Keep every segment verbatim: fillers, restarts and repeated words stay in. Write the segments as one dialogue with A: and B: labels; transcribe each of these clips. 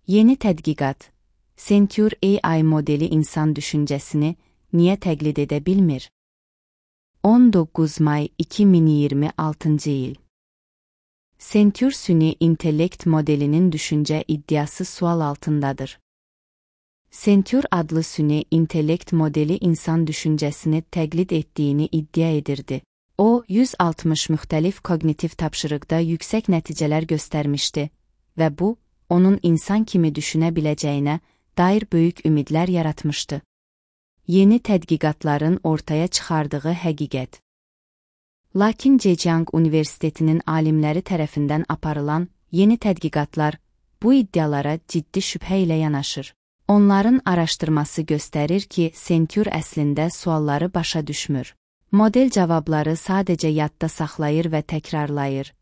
A: Yeni tədqiqat, Centaur A I modeli insan düşüncəsini niyə təqlid edə bilmir? on doqquz may iki min iyirmi altıncı il. Centaur süni intellekt modelinin düşüncə iddiası sual altındadır. Centaur adlı süni intellekt modeli insan düşüncəsini təqlid etdiyini iddia edirdi. O, yüz altmış müxtəlif kognitiv tapşırıqda yüksək nəticələr göstərmişdi və bu, onun insan kimi düşünə biləcəyinə dair böyük ümidlər yaratmışdı. Yeni tədqiqatların ortaya çıxardığı həqiqət. Lakin Zhejiang Universitetinin alimləri tərəfindən aparılan yeni tədqiqatlar bu iddialara ciddi şübhə ilə yanaşır. Onların araşdırması göstərir ki, Centaur əslində sualları başa düşmür. Model cavabları sadəcə yadda saxlayır və təkrarlayır.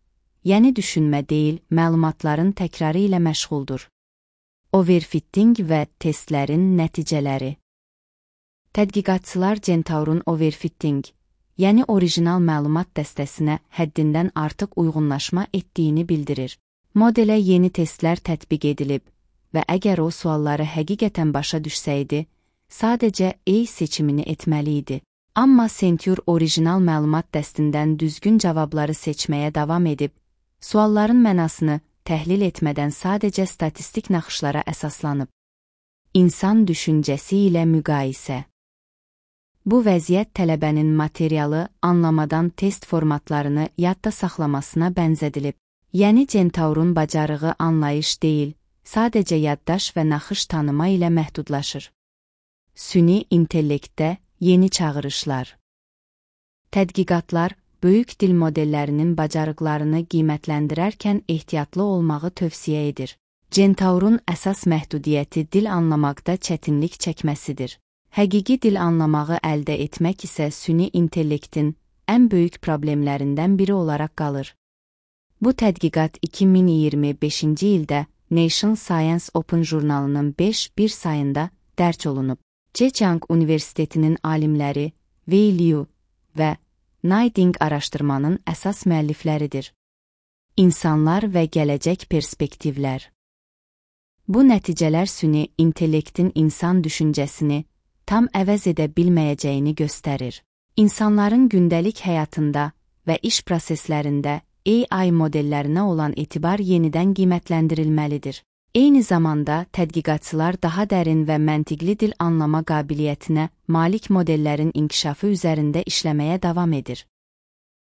A: Yəni düşünmə deyil, məlumatların təkrarı ilə məşğuldur. Overfitting və testlərin nəticələri. Tədqiqatçılar Centaurun overfitting, yəni orijinal məlumat dəstəsinə həddindən artıq uyğunlaşma etdiyini bildirir. Modelə yeni testlər tətbiq edilib və əgər o sualları həqiqətən başa düşsəydi, sadəcə A seçimini etməli idi. Amma Centaur orijinal məlumat dəstindən düzgün cavabları seçməyə davam edib, sualların mənasını təhlil etmədən sadəcə statistik naxışlara əsaslanıb. İnsan düşüncəsi ilə müqayisə. Bu vəziyyət tələbənin materialı anlamadan test formatlarını yadda saxlamasına bənzədilib. Yəni Centaurun bacarığı anlayış deyil, sadəcə yaddaş və naxış tanıma ilə məhdudlaşır. Süni intellektdə yeni çağırışlar. Tədqiqatlar, böyük dil modellərinin bacarıqlarını qiymətləndirərkən ehtiyatlı olmağı tövsiyə edir. Centaurun əsas məhdudiyyəti dil anlamaqda çətinlik çəkməsidir. Həqiqi dil anlamağı əldə etmək isə süni intellektin ən böyük problemlərindən biri olaraq qalır. Bu tədqiqat iki min iyirmi beşinci ildə National Science Open jurnalının beş bir sayında dərc olunub. Zhejiang Universitetinin alimləri Wei Liu və Naiding araşdırmanın əsas müəllifləridir. İnsanlar və gələcək perspektivlər. Bu nəticələr süni intellektin insan düşüncəsini tam əvəz edə bilməyəcəyini göstərir. İnsanların gündəlik həyatında və iş proseslərində A I modellərinə olan etibar yenidən qiymətləndirilməlidir. Eyni zamanda tədqiqatçılar daha dərin və məntiqli dil anlama qabiliyyətinə malik modellərin inkişafı üzərində işləməyə davam edir.